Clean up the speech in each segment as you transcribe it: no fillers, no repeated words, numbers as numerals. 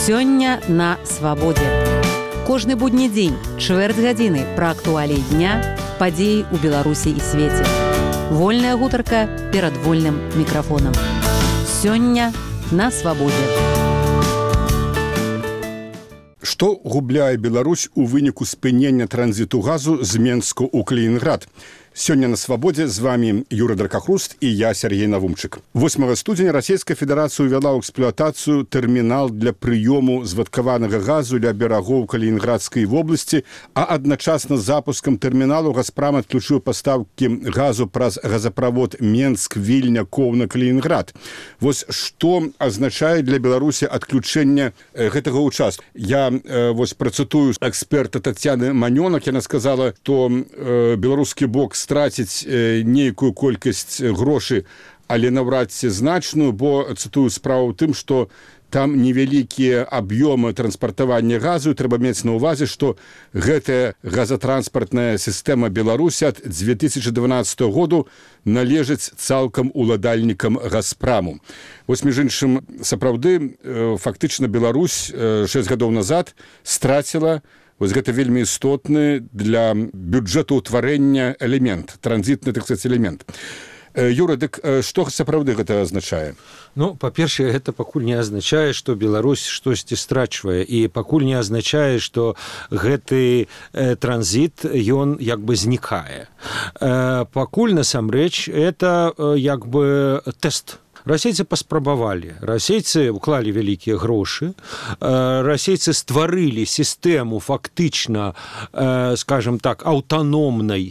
Сёння на свабодзе. Кожны будні дзень, чвэрць гадзіны пра актуаліі дня, падзеі ў Беларусі і свеце. Вольная гутарка перад вольным мікрафонам. Сёння на свабодзе. Што губляе Беларусь у выніку спынення транзіту газу з Менску ў Калінінград? Сёння на свабодзе з вами Юра Дракахруст і я, Сергей Навумчык. 8 студзеня Расійская Федэрацыя ўвяла ў эксплуатацыю тэрмінал для прыёму звадкаванага газу ля берагоў Калінінградскай вобласці, а адначасна з запускам тэрміналу Газпрам адключыў пастаўкі газу праз газаправод Менск-Вільня-Коўна-Калінінград. Вось што азначае для Беларусі адключэнне гэтага ўчастку. Я працытую эксперта Тацяны Манёнак. Яна сказала, што беларускі бок страціць нейкую колькасць грошай, але наўрад ці значную, бо, цытую, справа ў тым, што там невялікія аб'ёмы транспартавання газу. Трэба мець на ўвазе, што гэтая газатранспартная сістэма Беларусі ад 2012 году належыць цалкам уладальнікам Газпраму. Вось, між іншым, сапраўды, фактычна Беларусь 6 гадоў назад страціла вось гэта вельмі істотны для бюджэтаўтварэння элемент, транзітны, так сказаць, элемент. Юра, дык што сапраўды гэта азначае? Ну, па-першае, гэта пакуль не азначае, што Беларусь штосьці страчвае, і пакуль не азначае, што гэты транзіт, ён як бы знікае. Пакуль, насамрэч, это як бы тэст. Расейцы паспрабавалі, расейцы уклалі вялікія грошы, расейцы стварылі сістэму фактычна, скажем так, аўтаномнага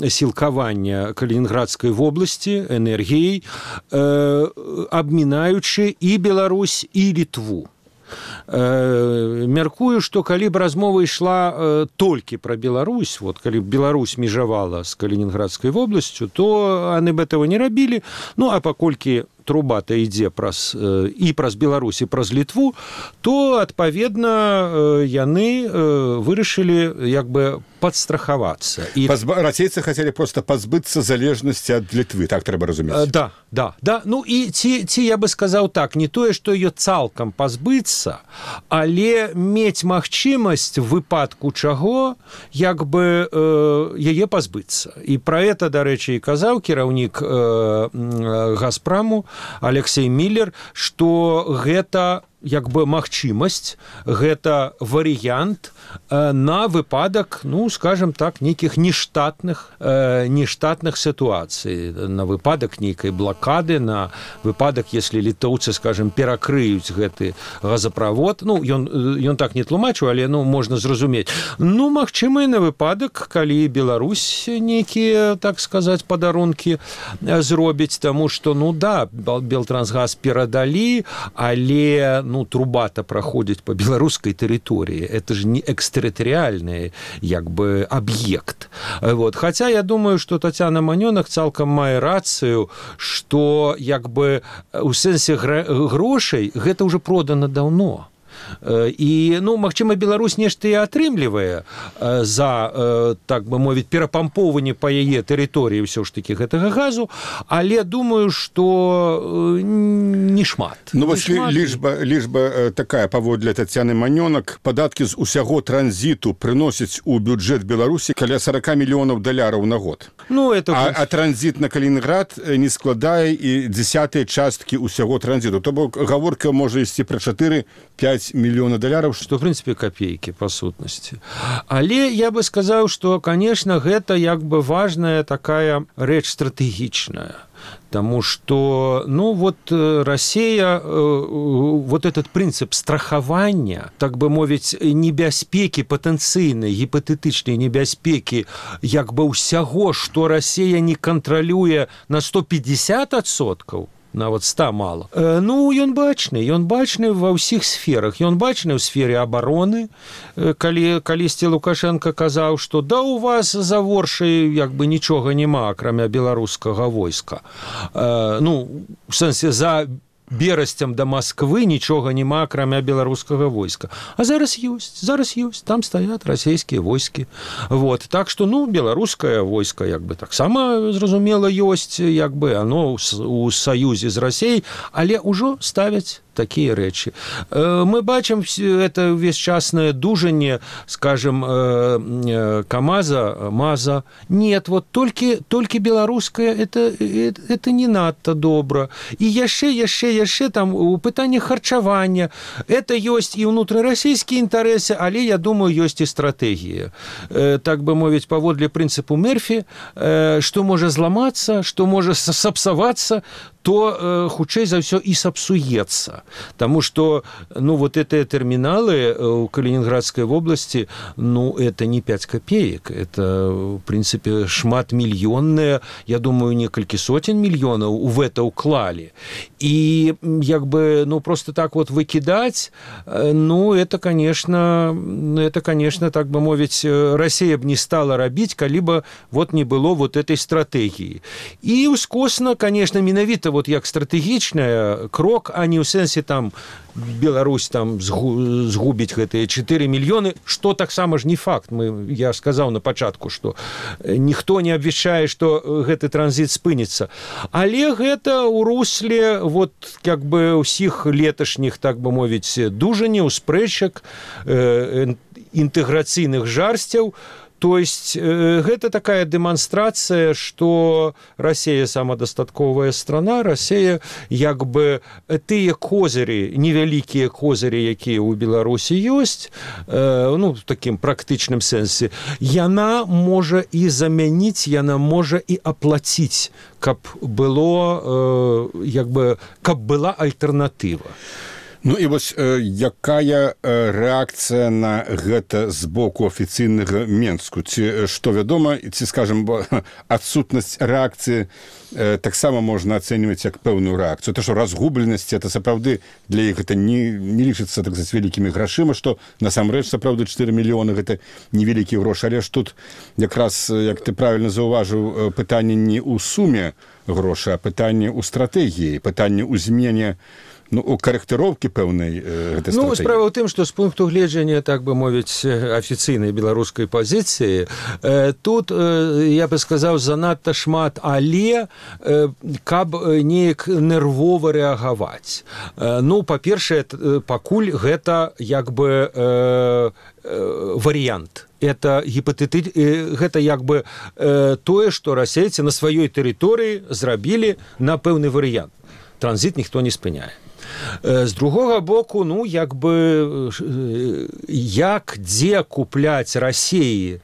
сілкавання Калінінградскай вобласці энергіяй, абмінаючы і Беларусь, і Літву. Мяркую, што калі б размова ішла толькі пра Беларусь, вот калі б Беларусь межавала з Калінінградскай вобласцю, то яны б этого не рабілі. Ну, а паколькі труба-то ідзе праз Беларусь і праз Літву, то, адпаведна, яны вырашылі як бы падстрахавацца. Расейцы хацелі проста пазбыцца залежнасці ад Літвы, так трэба разумець? Да. Ну, і ці я бы сказаў так, не тое, што ее цалкам пазбыцца, але мець магчымасць в выпадку чаго, як бы яе пазбыцца. І пра гэта, дарэчы, і казаў кіраўнік Газпраму Алексей Миллер, што гэта як бы магчымасць, гэта варыянт на выпадак, ну, скажем так, нейкіх нештатных сітуацый, на выпадак нейкай блакады, на выпадак, если літоўцы, скажем, перакрыюць гэты газаправод. Ну, ён так не тлумачыў, але, ну, можна зразумець. Ну, магчыма, і на выпадак, калі Беларусь нейкія, так сказаць, падарункі зробіць, таму што, ну, да, Белтрансгаз перадалі, але, ну, труба-то проходит по белорусской территории. Это же не экстерриториальный, як бы, объект. Вот. Хотя я думаю, что Тацяна Манёнак цалкам мае рацыю, что, як бы, у сэнсе грошай гэта уже продано давно. І, ну, магчыма, Беларусь нешта і атрымлівае за, так бы мовіць, перапампоўванне па яе тэрыторыі ўсё ж такі гэтага газу, але думаю, што не шмат. Ну, вось лічба такая, паводле Тацяны Манёнак, падаткі з усяго транзіту прыносяць у бюджэт Беларусі каля 40 мільёнаў даляраў на год. Ну, это... А транзіт на Калінінград не складае і 10-й часткі ўсяго транзіту. То бок гаворка можа ісці пра 4-5 мільёна даляраў, што, в прынцыпе, капейкі, па сутнасці. Але я бы сказаў, што, конечно, гэта як бы важная такая рэч стратэгічная. Потому что, ну, вот Россия, вот этот принцип страхования, так бы мовіць, небяспекі, патэнцыйнай, гіпатэтычнай небяспекі, як бы ўсяго, што Россия не кантралюе на 150%, нават 100 мало. Ну, ён бачны ва ўсіх сферах. Ён бачны ў сфере абароны, калісьці Лукашенко казаў, што да у вас за Воршай як бы нічога няма, акрамя беларускага войска. Ну, у сэнсе, за берасцям да Масквы нічога няма, акрамя беларускага войска. А зараз ёсць, там стаят расійскія войскі. Вот. Так што, ну, беларускае войска, як бы, таксама, зразумела, ёсць, як бы, оно у саюзе з Расіяй, але ўжо ставяць такие рэчы. Мы бачым это увесьчаснае дужанне, скажем, КамАЗа, МАЗа. Нет, вот только беларускае это не надта добра. І яшчэ там у пытанні харчавання. Это ёсць і ўнутрырасійскія інтарэсы, але, я думаю, ёсць і стратэгія. Так бы мовіць, паводле прынцыпу Мерфі, што можа зламацца, што можа сапсавацца, то хутчэй за ўсё і сапсуецца. Таму што, вот гэтыя тэрміналы ў Калінінградскай вобласці, это не 5 копеек, это, в прынцыпе, шматмільённыя, я думаю, некалькі сотен мільёнаў в это ўклалі. І, просто так вот выкідаць, это, конечно, так бы мовіць, Расія б не стала рабіць, калі бы не было этой стратэгіі. І ускосна, конечно, менавіта як стратэгічная крок, а не ў сэнсе там Беларусь там згубіць гэтыя 4 мільёны, што таксама ж не факт. Я сказаў на пачатку, што ніхто не абвяшчае, што гэты транзіт спыніцца. Але гэта ў русле ўсіх леташніх, так бы мовіць, дужанняў, спрэчак, інтэграцыйных жарсцяў. То есть гэта такая дэманстрацыя, што Расія самадастатковая страна, Расія тыя козырі, невялікія козырі, якія ў Беларусі ёсць, в такім практычным сэнсе, яна можа і замяніць, яна можа і аплаціць, каб была альтэрнатыва. І вось якая рэакцыя на гэта з боку афіцыйнага Менску? Ці што вядома, ці, скажам, адсутнасць рэакцыі таксама можна ацэньваць як пэўную рэакцыю. То, што разгубленасць, это сапраўды для іх гэта не лічыцца так з вялікімі грашыма, што насамрэч сапраўды 4 мільёны гэта невялікія грошы. Але ж тут якраз, як ты правільна заўважыў, пытанне не ў суме грошай, а пытанне ў стратэгіі, пытанне ў змене у карэктыроўкі пэўнай гэтай стратэгіі. Справа ў тым, што з пункту гледжання, так бы мовіць, афіцыйнай беларускай пазіцыі, тут, я бы сказаў, занадта шмат, але каб неяк нервова рэагаваць. Па-першае, пакуль гэта варыянт. Это тое, што расейцы на сваёй тэрыторыі зрабілі на пэўны варыянт. Транзіт ніхто не спыняе. З другога боку, дзе купляць Расіі,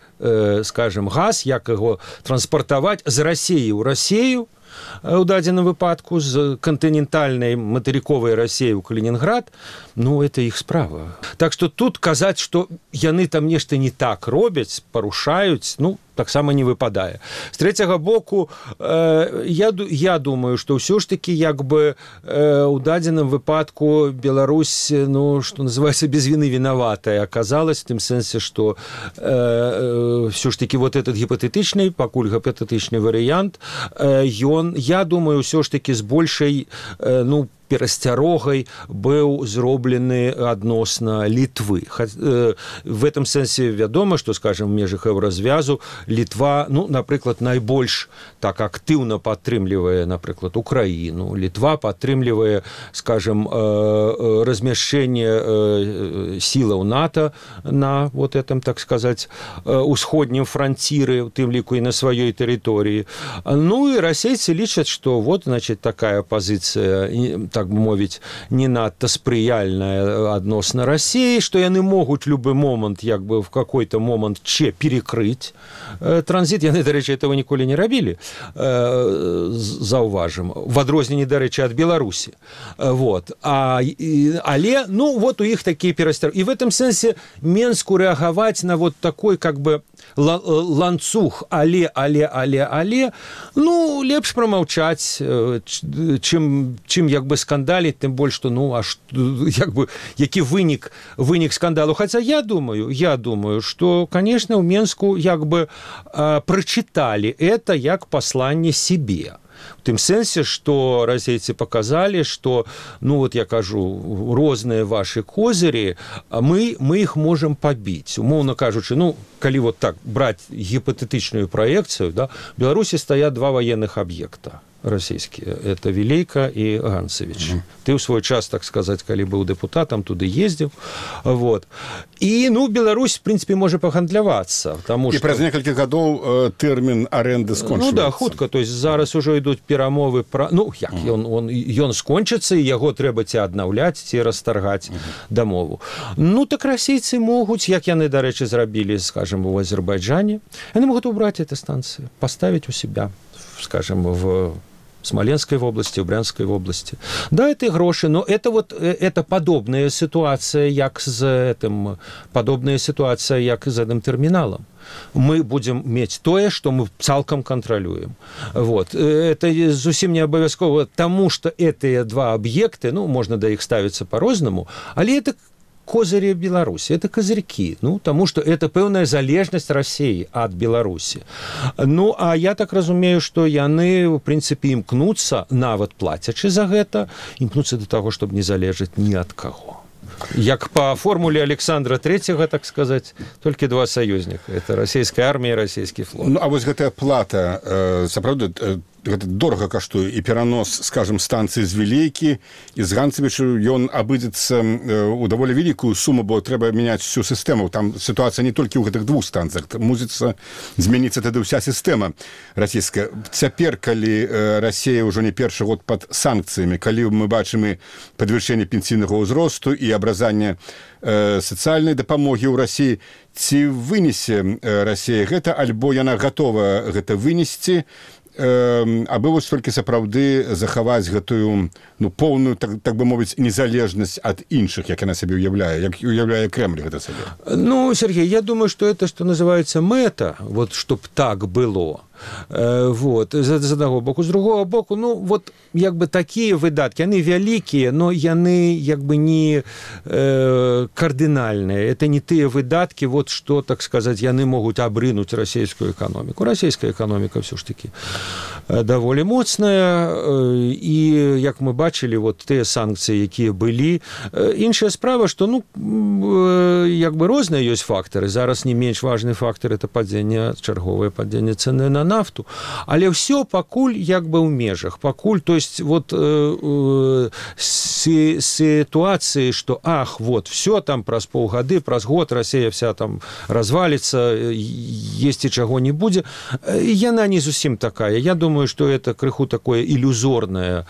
скажем, газ, як яго транспартаваць з Расіі ў Расію, у дадзеным выпадку з кантынентальнай матэрыковай Расіі ў Калінінград, это іх справа. Так што тут казаць, што яны там нешта не так робяць, парушаюць, таксама не выпадае. З трэцяга боку, я думаю, што ўсё ж такі у дадзеным выпадку Беларусь, што называецца, без віны вінаватая аказалась, в тым сэнсе, што ўсё ж такі этот гіпатэтычны, пакуль гіпатэтычны варыянт, я думаю, ўсё ж такі з большай, перасцярогай быў зроблены адносна Літвы. В этом сэнсе вядома, што, скажем, в межах еўразвязу Літва, напрыклад, найбольш так актыўна падтрымлівае, напрыклад, Украіну. Літва падтрымлівае, скажем, размяшчэнне сілаў НАТО на этом, так сказаць, усходнім франціры, у тым ліку і на сваёй тэрыторыі. І расейцы лічаць, што такая пазіцыя, так бы мовіць, не надта спрыяльная адносна Расіі, што яны могуць любы момант, в какой-то момант перекрыць транзіт. Яны, дарэчы, этого ніколі не рабілі, заўважым, в адрозненні, дарэчы, ад Беларусі. Але, у іх такія перасцярожкі. І в этом сэнсе Менску рэагаваць на такой, ланцуг, але, лепш прамаўчаць, чым скандаліць, тым больш, што, які вынік скандалу. Хаця я думаю, што, конечно, ў Менску прачыталі это як пасланне себе. В тым сэнсе, што расейцы паказалі, што, я кажу, розныя вашы козырі, мы іх можам пабіць. Умоўна кажучы, калі так браць гіпатэтычную праекцыю, в Беларусі стаят 2 ваенных аб'екта. расійскія. Это Вілейка і Ганцевіч. Ты ў свой час, так сказаць, калі быў дэпутатам, туды ездзіў. Вот. І, Беларусь, в прынцыпе, можа пагандлявацца. І праз некалькі гадоў тэрмін арэнды скончыцца. Да, хутка. То есть зараз ужо ідуць перамовы пра... Ён скончыцца, і яго трэба ці аднаўляць, ці расторгаць дамову. Так расейцы могуць, як яны, дарэчы, зрабілі, скажем, у Азербайджане, яны могуць убраць эти станцыі, поставить у себя, скажем, в Смоленской области, в Брянской области. Да, это и гроши, но это подобная ситуация, як з этим терминалом. Мы будем мець тое, што мы цалкам кантралюем. Вот. Это зусім не абавязкова, таму што гэтыя два аб'екты, можна да іх ставіцца па-рознаму, але это козыри Беларуси, это козырьки, тому что это пэўная залежнасць России от Беларуси. А я так разумею, что яны, в принципе, імкнуцца, нават плацячы за гэта, імкнуцца до того, чтобы не залежаць ні ад каго. Як по формуле Александра III, так сказать, только два союзника. Это российская армия и российский флот. А вот гэтая плата, сапраўды, гэта дорага каштуе, і перанос, скажем, станцыі з Вілейкі і з Ганцевічу, ён абыдзецца ў даволі вялікую суму, бо трэба мяняць всю сістэму. Там сітуацыя не толькі ў гэтых двух станцыях. Мусіцца змяніцца тады ўся сістэма расійская. Цяпер, калі Расія ўжо не першы год пад санкцыямі, калі мы бачым і падвышэнне пенсійнага ўзросту і абразанне сацыяльнай дапамогі ў Расіі, ці вынесе Расія гэта, альбо яна гатова гэта вынесці, абы вось толькі сапраўды захаваць гэтую поўную, так бы мовіць, незалежнасць ад іншых, як яна сабе уяўляе, як уяўляе Кремль гэта сабе. Сергей, я думаю, что это, что называется, мэта, вот, чтоб так было. Вот, з одного боку. З другого боку, як бы такія выдаткі, яны вялікія, но яны як бы не кардынальныя. Это не тыя выдаткі, вот што, так сказаць, яны могуць абрынуць расійскую эканоміку. Расійская эканоміка все ж таки даволі моцная, і як мы бачылі, вот тыя санкцыі, якія былі. Іншая справа, што як бы розныя ёсць фактары. Зараз не менш важны фактар — это чарговае падзенне цэны на нафту, але ўсё пакуль як бы ў межах. Пакуль, то есть вот ситуации, что вот все там праз полгады, праз год Россия вся там развалится, есть и чего не будет, яна не зусім такая. Я думаю, что это крыху такое иллюзорное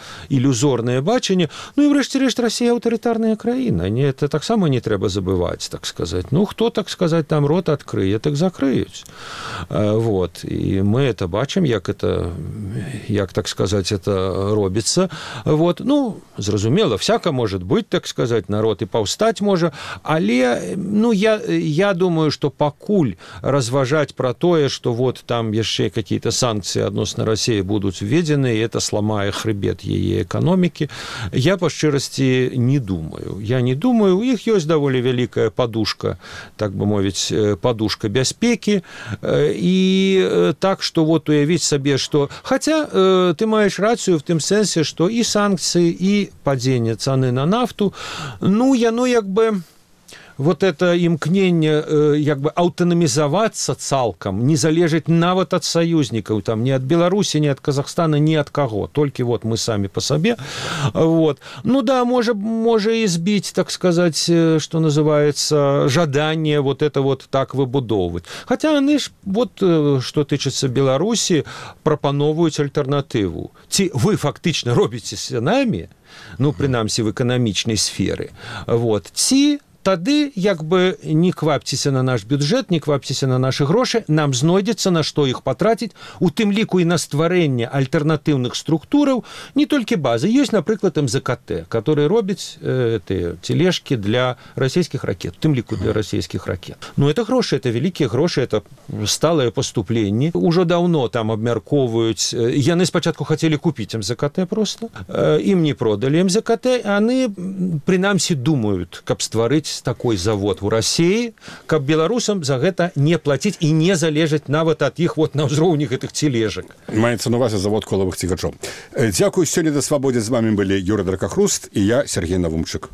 бачанне. И врэшце-рэшт Россия аўтарытарная краіна. Это таксама не трэба забывать, так сказать. Хто, так сказать, там рот открые, так закрыюць. Вот. И мы это бачым, як, так сказать, это робіцца. Вот. Зразумела, всяко может быть, так сказать, народ и паўстаць можа, але, я думаю, что пакуль разважаць про тое, что вот там яшчэ какие-то санкции адносна России будут введены, и это сломае хребет яе экономики, я по шчырасці не думаю. Я не думаю, у іх ёсць даволі вялікая подушка, так бы мовіць, подушка бяспекі, и так, что вот уявіць сабе, что... Хотя ты маешь рацию в тым сэнсе, что и санкции, и падзенне цаны на нафту, яно як бы... Вот это імкненне як бы аўтанамізавацца цалкам, не залежыць нават ад саюзнікаў, там, ни от Беларуси, ни от Казахстана, ни от кого, только вот мы сами по себе. Вот. Да, можа и сбить, так сказать, что называется, жаданне вот это вот так выбудоўваць. Хотя они ж, вот, что тычыцца Беларуси, прапановваюць альтэрнатыву. Ці вы фактычна робіце з намі, прынамсі в эканамічнай сферы, вот, ці тады як бы не квапцеся на наш бюджет, не квапцеся на наши грошы, нам знойдзецца на што іх патраціць, у тым ліку і на стварэнне альтэрнатыўных структураў, не толькі базы. Ёсць, напрыклад, МЗКТ, который робіць тележки для расійскіх ракет, у тым ліку для расійскіх ракет. Это грошы, это вялікія грошы, это сталае паступленне. Ужо даўно там абмяркоўваюць, яны спачатку хацелі купіць МЗКТ просто, ім не продалі МЗКТ, яны прынамсі думаюць, каб стварыць такой завод у России, каб беларусам за гэта не платить и не залежаць нават от іх вот на ўзроўні гэтых тележек. Маецца на увазе завод колавых цігачоў. Дзякую, сёння на Свабодзе з вами былі Юрий Дракахруст и я, Сергей Навумчык.